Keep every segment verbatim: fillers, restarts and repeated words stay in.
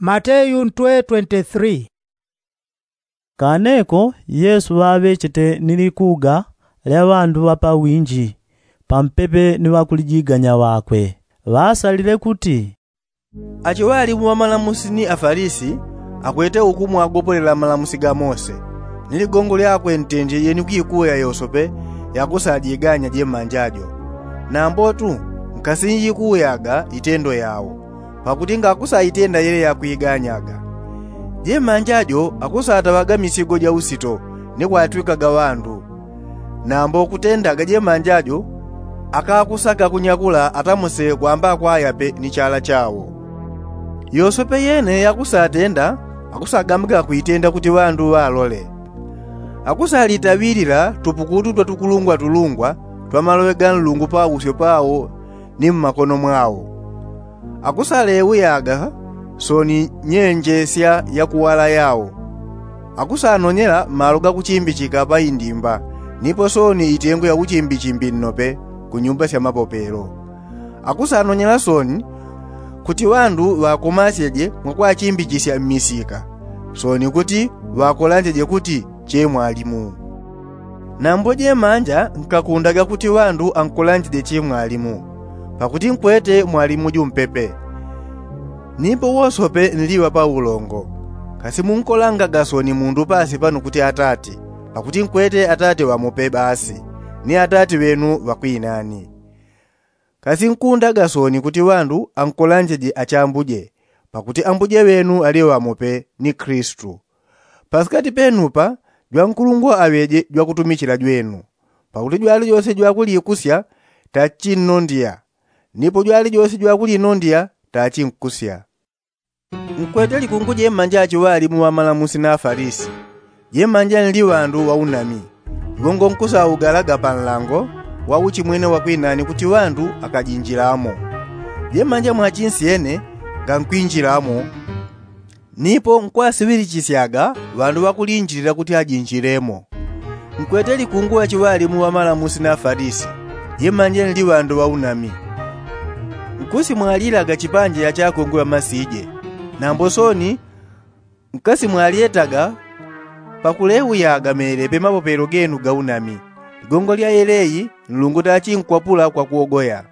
Mateyu ntwe twenty three. Kaneko yesu ŵaŵechete ni likuga lya ŵandu ŵa pawinji pampepe ni ŵakulijiganya ŵakwe. Ŵasalile kuti, achiŵalimu ŵa malamusi ni afalisi akwete uku mwagopolela malamusi ga mose, ni ligongo lyakwe ntenje yeni kwikuya yosope yakusajiganya jemanja jo. Nambotu nkasinjikuyaga itendo yao, pakuti ngakusaitenda yele yakwiganyaga. Jemanja jo akusataŵaga misigo ja usito ni kwatwikaga ŵandu. Nambo kutendaga jemanja jo akakusaka kunyakula atamuse kwamba kwayape ni chala chao. Yosope yene yakusatenda akusagambaga kwitenda kuti ŵandu ŵalole. Akusalitawilila tupukutu twa tukulungwatulungwa twa maloŵe ga nlungu pausyo pao ni mmakono mwao. Akusaleuyaga soni nyenjesya ya kuwala yao. Akusanonyela malo gakuchimbichika pa indimba nipo soni itengo ya uchimbichimbi nnope ku nyumba sya mapopelo. Akusanonyela soni kuti ŵandu ŵakomasyeje mwakwachimbichishya mmisika, soni kuti ŵakolanjeje kuti che mwalimu. Nambo jemanja nkakundaga kuti ŵandu ankolanjeje che mwalimu, pakuti nkwete mwalimu jumpepe. Nipo wosope nliŵa paulongo. Kasi munkolangaga soni mundu pasi pano kuti atati, pakuti nkwete atati ŵamope basi, ni atati ŵenu ŵakwinani. Kasi nkundaga soni kuti ŵandu ankolanjeje achambuje, pakuti ambuje ŵenu ali ŵamope ni kristu. Pasikati penupa jwankulungwa aŵeje jwakutumichila jwenu. Pakuti jwalijose jwakulikusya tachinnondya, nipo jwalijose jwakulinondya tachinkusya. Nkwete likungu jemanja achiŵalimu ŵa malamusi na afalisi. Jemanja nli ŵandu ŵaunami. Iwo ngo nkusaugalaga panlango wa uchimwene wakwinani kuti ŵandu akajinjilamo. Jemanja mwachinsyene ngankwinjilamo, nipo nkwasiŵilichisyaga ŵandu ŵakulinjilila kuti ajinjilemo. Nkwete likungu achiŵalimu ŵa malamusi na afalisi. Jemanja nli ŵandu ŵaunami. Nkusimwalilaga chipanje achakungwi ŵamasije. Nambo soni nkasimwalyetaga pakuleuyaga mele pe mapopelo genu gaunami. Ligongo lya yeleyi nlungu tachinkwapula kwa kuogoya.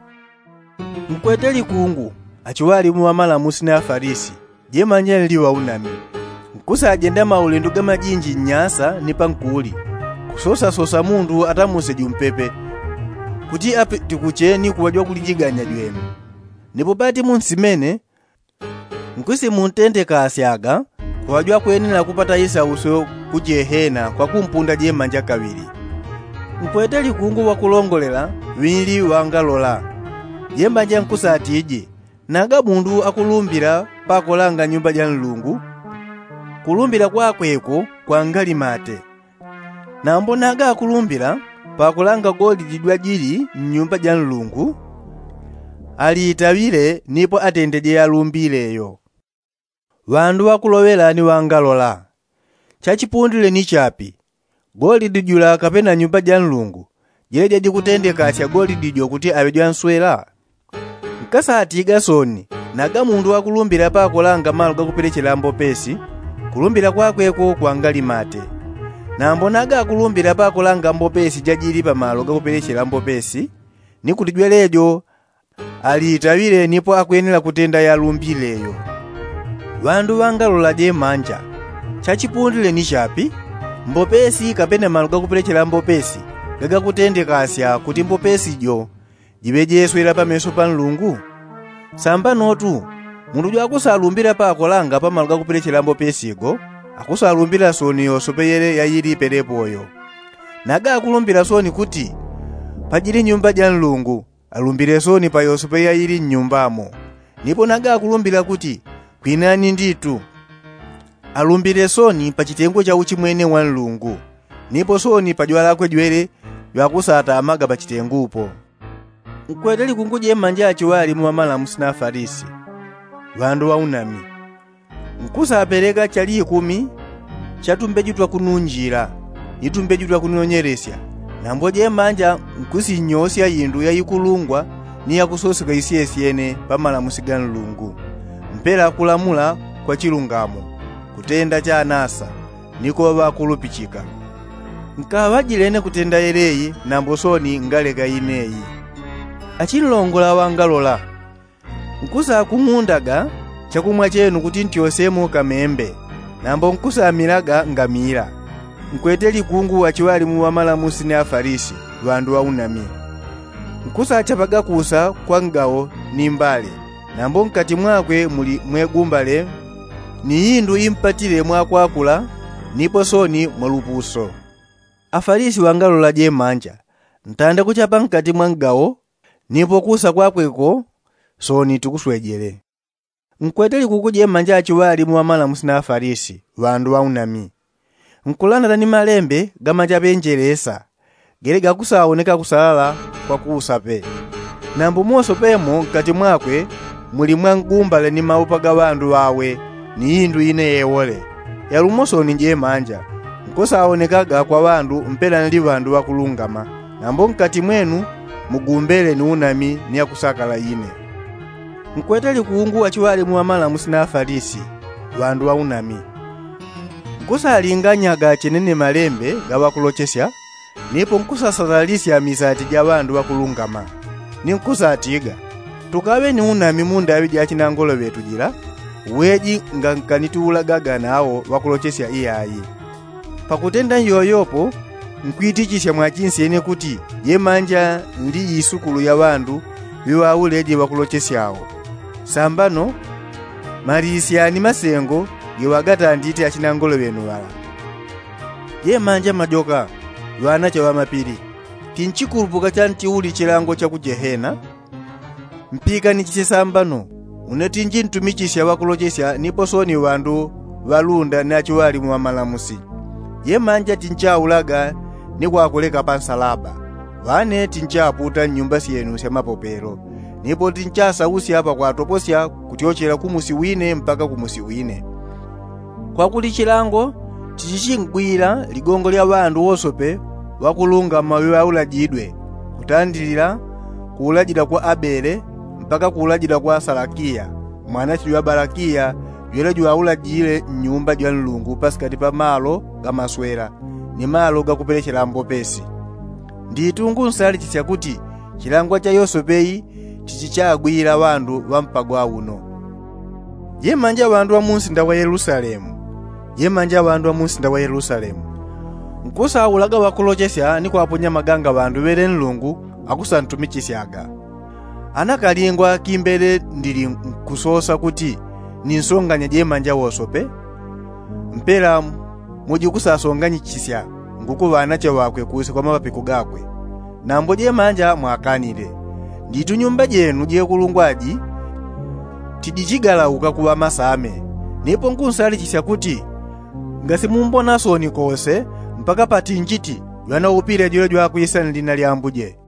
Nkwete likungu achiŵalimu ŵa malamusi na afalisi. Jemanja nli ŵaunami. Nkusajenda maulendo gamajinji nnyasa ni pankuli, kusosasosa mundu atamuse jumpepe, kuti apitikuche ni kuŵa jwakulijiganya jwenu. Nipo pati munsimene nkusimuntentekasyaga kuŵa jwakwenela kupata isausyo ku jehena kwa kumpunda jemanja kaŵili. Nkwete likungu ŵakulongolela ŵinli ŵangalola. Jemanja nkusatije, naga mundu akulumbila pakolanga nyumba ja nlungu, kulumbila kwakwe ko kwangali mate. Nambo naga akulumbila pakolanga golidi jwajili nnyumba ja nlungu, aliitaŵile nipo atendeje yalumbile yo. Ŵandu ŵakuloŵela ni ŵangalola. Chachipundile ni chapi? Golidi jula kapena nyumba ja nlungu jeleja jikutendekasya golidi jo kuti aŵe jwanswela? Nkasatiga soni, naga mundu wakulumbila pakolanga malo gakupelechela mbopesi, kulumbila kwakwe ko kwangali mate. Nambo naga akulumbila pakolanga mbopesi jajili pamalo gakupelechela mbopesi, ni kuti jwelejo aliitaŵile nipo akwenela kutenda yalumbile yo. Ŵandu ŵangalola jemanja. Chachipundile ni chapi? Mbopesi kapena malo gakupelechela mbopesi gagakutendekasya kuti mbopesi jo jiŵe jeswela pameso pa nlungu? Sambanotu, mundu jwakusalumbila pakolanga pamalo gakupelechela mbopesi go akusalumbila soni yosope yele yayili pelepo yo. Naga akulumbila soni kuti pajili nyumba ja nlungu, alumbile soni pa yosope yayili nnyumbamo. Nipo naga akulumbila kuti kwinani nditu, alumbile soni pa chitengo cha uchimwene wa nlungu, nipo soni pa jwalakwe jwele jwakusatamaga pa chitengupo. Nkwete likungu jemanja achiŵalimu ŵamalamusi na afalisi, ŵandu ŵaunami. Nkusapeleka chali ikumi cha tumbeju twa kununjila ni tumbeju twa kunonyelesya. Nambo jemanja nkusinyosya indu yaikulungwa ni yakusoseka isyesyene pa malamusi ga nlungu, mpela kulamula kwa chilungamo, kutenda chanasa, ni kuŵa ŵakulupichika. Nkaŵajilene kutenda yeleyi nambo soni ngaleka ineyi. Achinlongola ŵangalola, nkusakumundaga chakumwa chenu kuti ntyosemo kamembe, nambo nkusamilaga ngamila. Nkwete likungu achiŵalimu ŵamalamusi ni afalisi, ŵandu ŵaunami. Nkusachapaga kusa kwa ngawo ni mbale, nambo nkati mwakwe muli mwegumbale ni indu impatile mwakwakula, nipo soni mwalupuso. Afalisi ŵangalola jemanja, ntanda kuchapa nkati mwa ngawo, nipo kusa kwakwe ko soni tikuswejele. Nkwete likuku jemanja achiŵalimu ŵamalamusi na afalisi, ŵandu ŵaunami. Nkulandala ni malembe gamachaŵenjelesa, gele gakusaoneka kusalala kwa kusa pe. Nambo mwosope mo nkati mwakwe muli mwangumbale ni maupa ga ŵandu ŵawe, ni indu ine yewole. Yalumo soni jemanja, nkusaonekaga kwa ŵandu mpela nli ŵandu ŵakulungama, nambo nkati mwenu mugumbele ni unami ni akusakala ine. Nkwete likungu achiŵalimu ŵamalamusi na afalisi, ŵandu ŵaunami. Nkusalinganyaga chene ni malembe ga ŵakulochesya, nipo nkusasalalisya misati ja ŵandu ŵakulungama, ni nkusatiga, tukaŵe ni unami mu ndaŵi ja chinangolo ŵetu jila, weji nga nkanitiulagaga nawo ŵakulochesya iyayi. Pakutenda nyoyopo, nkwitichisya mwachinsyene kuti jemanja nli isukulu ya ŵandu ŵiŵauleje ŵakulochesyao. Sambano, malisyani masengo geŵagatandite achinangolo ŵenu ŵala. Jemanja majoka, ŵanache ŵa mapili, tinchikulupuka chantiuli chilango cha ku jehena. Mpikanichisye sambano, une tinji ntumichisya ŵakulochesya nipo soni ŵandu ŵalunda ni achiŵalimu ŵamalamusi. Jemanja tinchaulaga ni kwakuleka pa nsalaba. Ŵane tinchaputa nnyumba syenu sya mapopelo, nipo tinchasausya pakwatoposya kutyochela ku musi wine mpaka ku musi wine. Kwakuli chilango tichichingwila ligongo lya ŵandu wosope ŵakulungama ŵiŵaulajidwe, kutandilila kuulajila kwa abele mpaka kuulajila kwa salakiya, mwanache jwa balakiya, jwele jwaulajile nnyumba jwa nlungu pasikati pa malo ga maswela ni malo gakupelechela mbopesi. Nditu ngunsalichisya kuti chilangwa cha yosope yi chichichagwila ŵandu ŵa mpagwa uno. Jemanja ŵandu ŵa munsinda wa yelusalemu, jemanja ŵandu ŵa munsinda wa yelusalemu, nkusaulaga ŵakulochesya ni kwaponya maganga ŵandu ŵele nlungu akusantumichisyaga. Ana kalingwa kimbele ndili nkusosa kuti ninsonganya jemanja wosope? Mpela mujikusasonganyichisya nguku ŵanache ŵakwe kusa kwa mapapiko gakwe. Nambo jemanja mwakanile. Nditu nyumba jenu jekulungwaji tijichigalauka kuŵa masame. Nipo nkunsalichisya kuti, ngasimumbona soni kose mpaka patinjiti jwanaupile jwele jwakwisa nlina lya ambuje.